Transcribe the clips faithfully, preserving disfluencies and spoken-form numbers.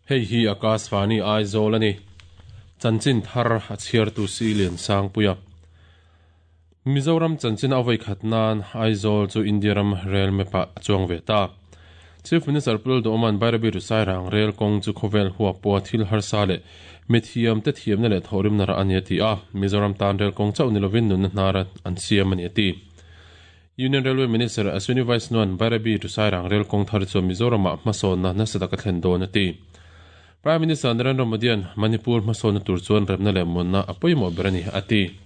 Hei hi Akashvani Aizawl ani. Chanchin thar a chhiar tu si lian sang puia. Mizoram chanchin avai khatnan Aizawl chu India ram rail map ah chuang ve ta. Chief Minister Pul Doman Bairabi to Sairang rail kong chu khovel huwa po thil harsa le mithiam te thiam na le thorim nara ani ti a. Mizoram tan rail kong chau nilovin nun nara an siam ani ti. Union Railway Minister Ashwini Vaishnawan Bairabi to Sairang rail kong thar chu Mizoram ah hmasawn na nasa taka thlen dawn ati. Prime Minister Narendra Modi an Manipur hmasawn na tur chuan remna leh munna a pawimawh ber ani ati.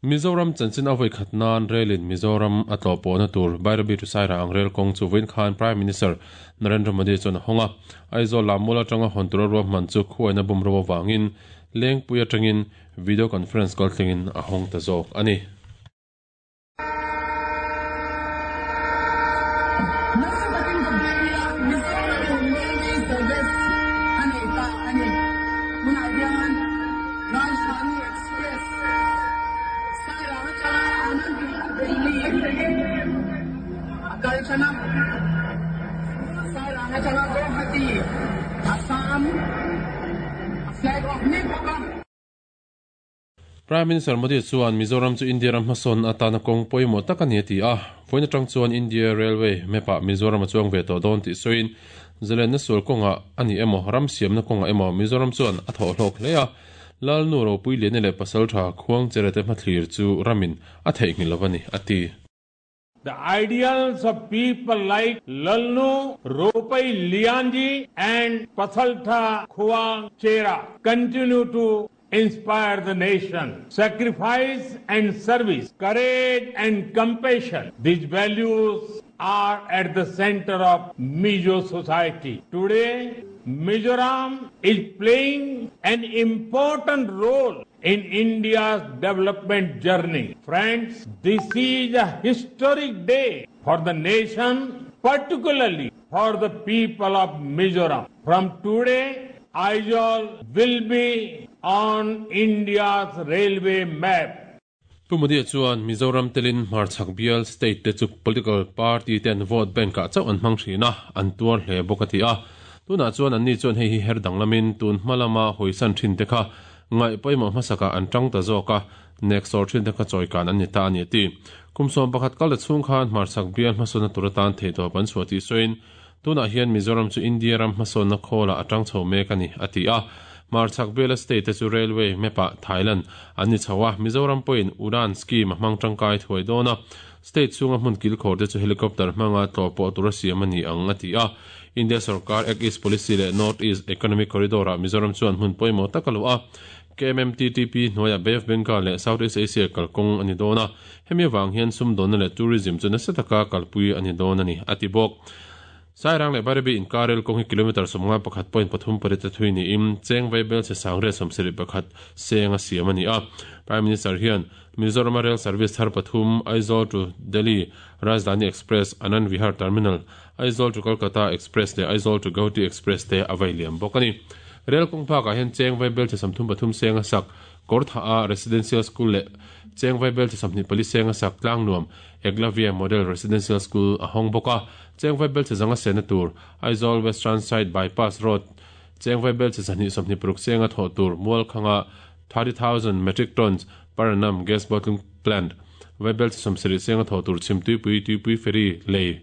Mizoram chanchin avai khatnan railin Mizoram a tlawh na tur Bairabi to Sairang rail kong chu vawiin khan Prime Minister Narendra Modi chuan a hawng a. Aizawl lammual atanga hawn tura ruahman chu khuaina bumro awangin lengpui atangin video conference kal thlengin a hawng ta zawk ani. Prime Minister Modi chuan Mizoram chu India ram hmasawn atana kawng pawimawh tak ani ti a. Vawiin atang chuan India Railway map ah Mizoram a chuang ve tawh dawn tih sawiin zalenna sual kawnga ani emaw ram siamna kawnga emaw Mizoram chuan a thawh hlawk hle a. Lalnu ropui lian leh pasal tha khuang cherete hmathlir chu ramin a theihnghilh lo ani ati. The ideals of people like Lalnu Ropai Lianji and Pasaltha Khuang Chera continue to inspire the nation. Sacrifice and service, courage and compassion, these values are at the center of Mizo society. Today, Mizoram is playing an important role in India's development journey. Friends, this is a historic day for the nation, particularly for the people of Mizoram. From today, Aizawl will be on India's railway map. Pu Modi chuan Mizoram telin Hmarchhak bial state te chu political party ten vote bank ah chauh an hmang thin a, an tuar hle bawk a ti a. Tunah chuan an ni chuan hei hi her danglamin tun hmalama hawisan thin te kha ngai pawimawh hmasaka an tang ta zawk a, nek sawr thin te kha chawikan an ni ta ani ti. Kum sawm pakhat kal ta chhung khan Hmarchhak bial hmasawnna tur atan thei tawp an chhuah tih sawiin tunah hian Mizoram chu India ram hmasawnna khawla atang chho mek ani ati a. Hmarchhak bial state te chu railway map ah Thailand an ni chho a, Mizoram pawhin Udan scheme a hmang tangkai thuai dawn a. State chhunga hmun kilkhawr te chu helicopter hmanga tlawh pawh tura siam ani ang ati a. India sarkar Act East Policy leh North East Economic Corridor ah Mizoram chuan hmun pawimawh tak a lo a. K M M T T P hnuaiah Bay of Bengal leh Southeast Asia kalkawng ani dawn a. Hemi awang hian sumdawnna leh tourism chu nasa taka kalpui ani dawn ani ati bawk. Sairang leh Bairabi inkar rail kawng hi kilometer sawmnga pakhat point pathum pariat a thui niin cheng vaibel che sangre sawmsarih pakhat seng a siam ani a. Prime Minister hian Mizoram Rail Service thar pathum Aizawl to Delhi Rajdhani Express Anand Vihar Terminal Aizawl to Kolkata Express leh Aizawl to Guwahati Express te a vai liam bawk ani. Rail kawng phakah hian cheng vaibel che samthum pathum seng a sak Kortha a Residential School leh cheng vaibel che samhnih pali seng a sak Tlangnuam Eklavya Model Residential School a hawng bawk a. Cheng vaibel che zanga sena tur Aizawl Western Side Bypass Road cheng vaibel che sahnih sawmhnih paruk seng a thawh tur mual khanga thirty thousand metric tons per annum gas bottling plant vaibel che sawmsarih seng a thawh tur chhim tuipui tuipui ferry lei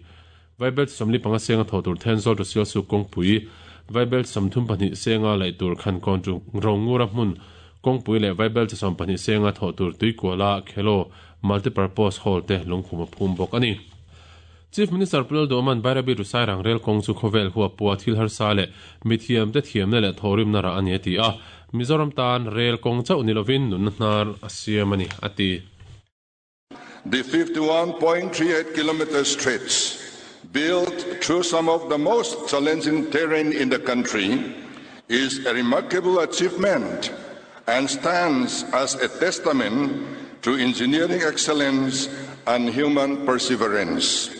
vaibel che sawmli panga seng a thawh tur Thenzawl to Sialsuk kawngpui vaibel che sawmthum pahnih senga laih tur Khankawn chu Rongura hmun kawngpui leh vaibel che sawm pahnih senga thawh tur Tuikuala Khelo multipurpose hall te lungkhum a phum bawk ani. Chief Minister Pulal Doman Bairabi to Sairang rail kawng chu khawvel huwa pua thil harsa leh mithiam te thiamna leh thorimna ra ani ati a. Mizoram tan rail kawng chauh nilovin nunna hnar a siam ani ati. The fifty-one point three eight kilometer stretch built through some of the most challenging terrain in the country is a remarkable achievement and stands as a testament to engineering excellence and human perseverance.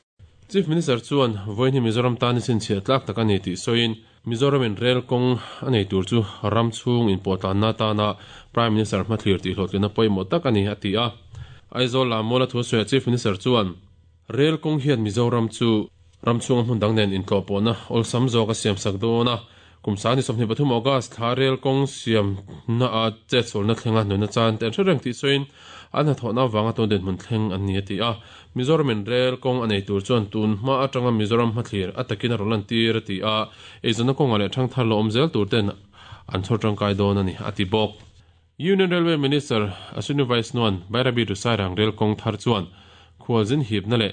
Chief Minister chuan vawiin hi Mizoram tan sin chhiah tlak tak ani tih sawiin Mizoramin rail kawng a nei tur chu ram chhung inpawhtlanna tana Prime Minister hmathlir tih hlawhtlina pawimawh tak ani ati a. Aizawl lammual a thu sawiah Chief Minister chuan rail kawng hian Mizoram chu ram chhunga hmun dang nen intlawh pawhna awlsam zawk a siam sak dawn a. Kum sang ni sawmhnih pathum August thla rel kawng siam na a chet sualna thlenga nuna chan te an hre reng tih sawiin an hnathawhna avanga tun dinhmun thleng an ni a ti a. Mizoramin rel kawng a nei tur chuan tun hma atanga Mizoram hmathlir a takin a rawn lan tir a ti a, eizawnna kawngah leh thangthar lo awm zel tur ten an chhawr tangkai dawn a ni a ti bawk. Union Railway Minister Ashwini Vaishnaw-a'n Bairabi to Sairang rel kawng thar chuan khualzin hipna leh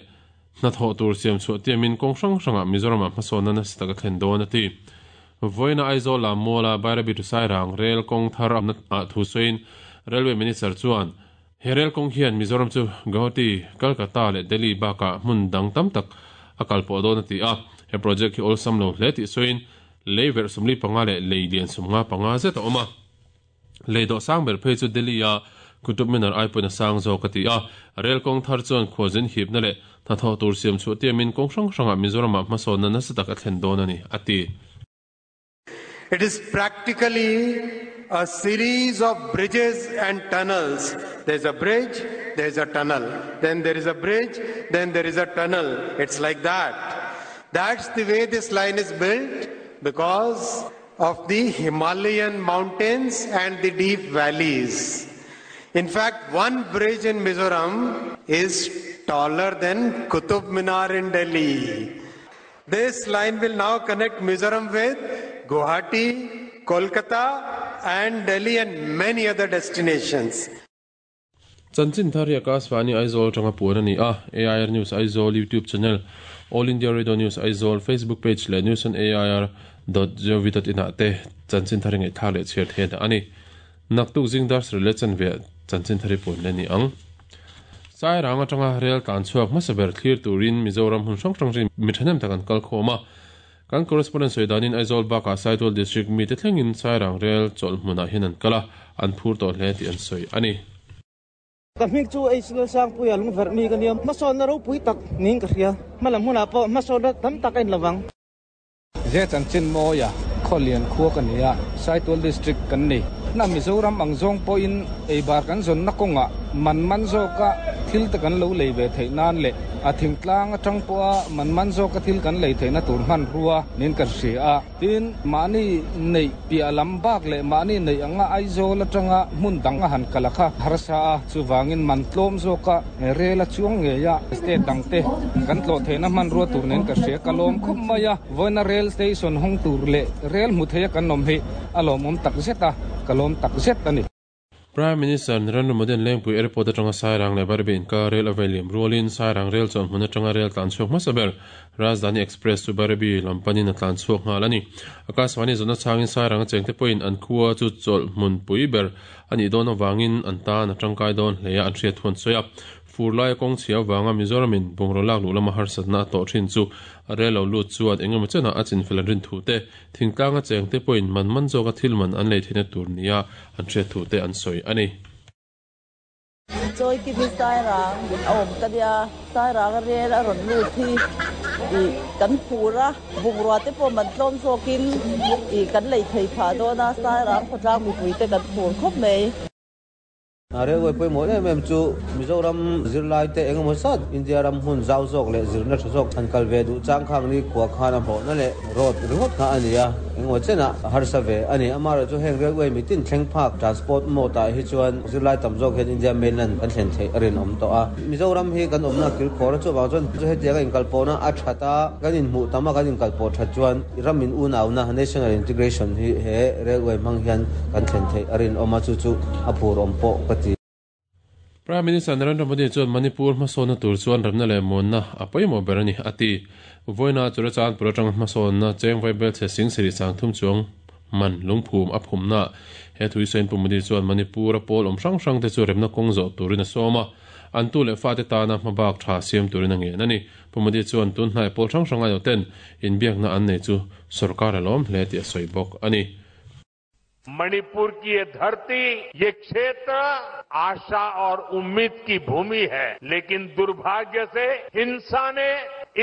hnathawh tur siam chhuah tiamin kawng hrang hrangah Mizoramah hmasawnna nasa taka thlen dawn a ti. Vawiina Aizawl lam muala Bairabi to Sairang rel kawng thar ah thu sawiin Railway Minister chuan he rel kawng hian Mizoram chu Guwahati, Kolkata leh Delhi bakah hmun dang tam tak a kal pawh dawn a ti a. He project hi awlsam lo hle tih sawiin lei verh sawmli panga leh lei lian sawmnga panga zet a awm a. Lei dawh sang ber phei chu Delhi a Qutub Minar ai pawhin a sang zawk a ti a. Rel kawng thar chuan khualzin hipna leh hnathawh tur siam chhuah tiamin kawng hrang hrangah Mizoramah hmasawnna nasa tak a thlen dawn a ni a ti. It is practically a series of bridges and tunnels. There's a bridge, there's a tunnel. Then there is a bridge, then there is a tunnel. It's like that. That's the way this line is built because of the Himalayan mountains and the deep valleys. In fact, one bridge in Mizoram is taller than Qutub Minar in Delhi. This line will now connect Mizoram with Guwahati, Kolkata and Delhi and many other destinations. Chanchin thar hi Akashvani Aizawl tanga puan a ni a. A I R News Aizawl YouTube channel, All India Radio News Aizawl Facebook page leh news on A I R dot gov dot in ah te chanchin thar hi ngaihthlak leh chhiar theih a ni. Naktuk zing dar sarih leh chanve chanchin thar hi puan le ni ang. Sairang atanga rel tlan chhuak hmasa ber thlir turin Mizoram hun hrang hrang mi thahnem tak an kal khawm a. Kan correspondent sawidanin Aizawl bakah Saitual district mi te thlengin Sairang rel chawlh hmunah hian an kal a, an phur tawh hle tih an sawi a ni. Ka hming chu Aizawl Sangpuia lungverh mi ka nia, hmasawnna ropui tak niin ka hria. Hmalam hunah pawh hmasawnna tam tak a inlovang. Ze chanchin mawia khawlian khua ka ni a, Saitual district kan ni. Na Mizoram ang zawng pawhin eibar kan zawnna kawngah man man zawka thil te kan lo lei ve theih nan leh a thingtlang atang pawha man man zawka thil kan lei theihna tur hman rua niin kan hria a. Tin mahni nei piah lam bak leh mahni nei anga Aizawl atanga hmun dang a han kal a kha harsa a, chuvangin man tlawm zawka rel a chuang ngei a state dang te kan tlawh theihna hman rua tur niin ka hria. Ka lawm khawp mai a, vawiina rail station hawng tur leh rel hmu theia kan awm hi a lawmawm tak zet a, ka lawm tak zet a ni. Prime Minister Narendra Modi an Lengpui Airport atanga Sairang leh Bairabi inkar rel a veiliam rualin Sairang rel chuan hmun atanga rel tlan chhuak hmasa ber Rajdhani Express chu Bairabi lampanin a tlan chhuak nghal a ni. Akashvani zawhna changin Sairang a chengte pawhin an khua chu chawlh hmun pui ber a nih dawn avangin an tan a tangkai dawn hle a an hriat thuan sawi a. Furlai kawng chhia avanga Mizoramin bungraw lak luh lama harsatna a tawh thin chu a rel lo lut chuan engemaw chenah a chinfel an rin thu te, thingtlang a chengte pawhin man man zawka thil man an lei theihna tur nia an hriat thu te an sawi a ni. Chawi ki hi Sairang a awm ka nia, Sairang a rel a rawn lut hi i kan phur a, bungrua te pawh man tlawm zawkin i kan lei thei phah dawn a, Sairang khawtlang mipui te kan phur khawp mai. A railway pawimawh em em chu Mizoram zirlai te engemaw zat India ram hmun zau zawk leh zirna tha zawk an kal ve duh chang khang ni khua khan a hmawhna leh road ringawt kha a ni a, engemaw chenah harsa ve a ni. Amaherawhchu chu heng railway mitin thleng phak transport mode ah hi chuan zirlai tam zawk hian India mainland kan thlen theih a rinawm tawh a. Mizoram hi kan awmna kilkhawr a chuvang chuan chu hetianga inkalpawhna a that a, kan inhmuh tam a kan inkalpawh that chuan ram in unauna national integration hi he railway hmang hian kan thlen theih a rinawm a, chu chu a phur awm pawh ka ti. Prime Minister Narendra Modi chuan Manipur hmasawnna tur chuan ramna leh muanna a pawimawh ber a ni a ti. Vawiina Churachandpur atanga hmasawnna chengvai bel chhe sing sarih sang thum chuang man lungphum a phumna. He thui sawiin Pu Modi chuan Manipur a pawl awm hrang hrang te chu remna kawng zawh turin a sawm a, an tu leh fa te tana hmabak tha siam turin a ngen a ni. Pu Modi chuan tun hnai pawl hrang hrang aio ten inbiakna an nei chu sarkar a lawm hle tih a sawi bawk a ni. Manipur की ये धरती, ये क्षेत्र आशा और उम्मीद की भूमि है, लेकिन दुर्भाग्य से हिंसा ने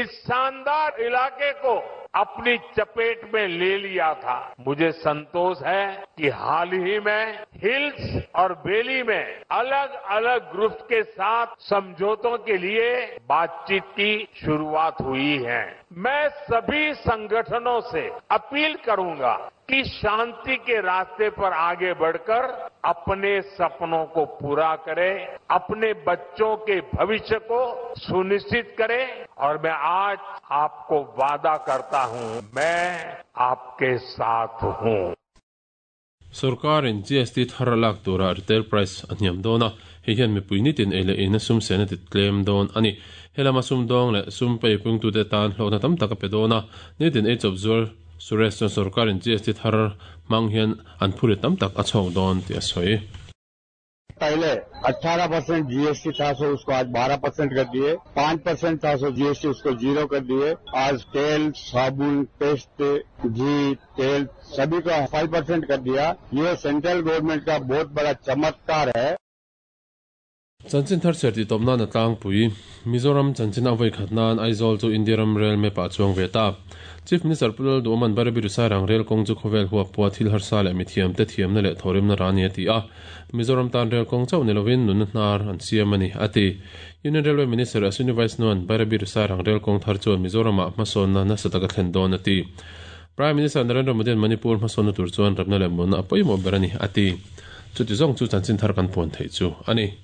इस शानदार इलाके को अपनी चपेट में ले लिया था। मुझे संतोष है कि हाल ही में हिल्स और वैली में अलग-अलग ग्रुप्स के साथ समझौतों के लिए बातचीत की शुरुआत हुई है। मैं सभी संगठनों से अपील करूंगा कि शांति के रास्ते पर आगे बढ़कर अपने सपनों को पूरा करें, अपने बच्चों के भविष्य को सुनिश्चित करें और मैं आज आपको वादा करता हूं, मैं आपके साथ हूं। Sarkarin G S T thar lak tura retail price a hniam dawn a, hei hian mipui nitin ei leh in a sum sen a ti tlem dawn ani. Helama sum dawng leh sum pei pung tu te tan hlawhna tam tak a pe dawn a, nitin ei chawp zuar Suresh chuan sarkarin G S T thar mang hian an phuri tam tak a chhawk dawn tih a sawi. पहले अठारह percent GST था सो उसको आज बारह percent कर दिए, पांच परसेंट था सो जीएसटी उसको जीरो कर दिए। आज तेल, साबुन, पेस्ट, घी, तेल सभी का फाइव परसेंट कर दिया। ये सेंट्रल गवर्नमेंट का बहुत बड़ा चमत्कार है। Chanchin thar cher ti tawp nan a tlangpui Mizoram chanchin a vawi khat nan Aizawl chu India ram rail map ah chuang ve ta. Chief Minister Pulal Duoman Bairabi Sairang rail kawng chu khawvel huap pawh thil harsa leh mithiam te thiamna leh thawrimna ra ani a ti a. Mizoram tan rail kawng chauh ni lovin nunna hnar an siam ani a ti. Union Railway Minister Ashwini Vaishnawan Bairabi Sairang rail kawng thar chuan Mizoram ah hmasawnna nasa taka thlen dawn a ti. Prime Minister Narendra Modi an Manipur hmasawnna tur chuan ramna leh munna a pawimawh ber ani a ti. Chuti zawng chu chanchin thar kan puan theih chu ani.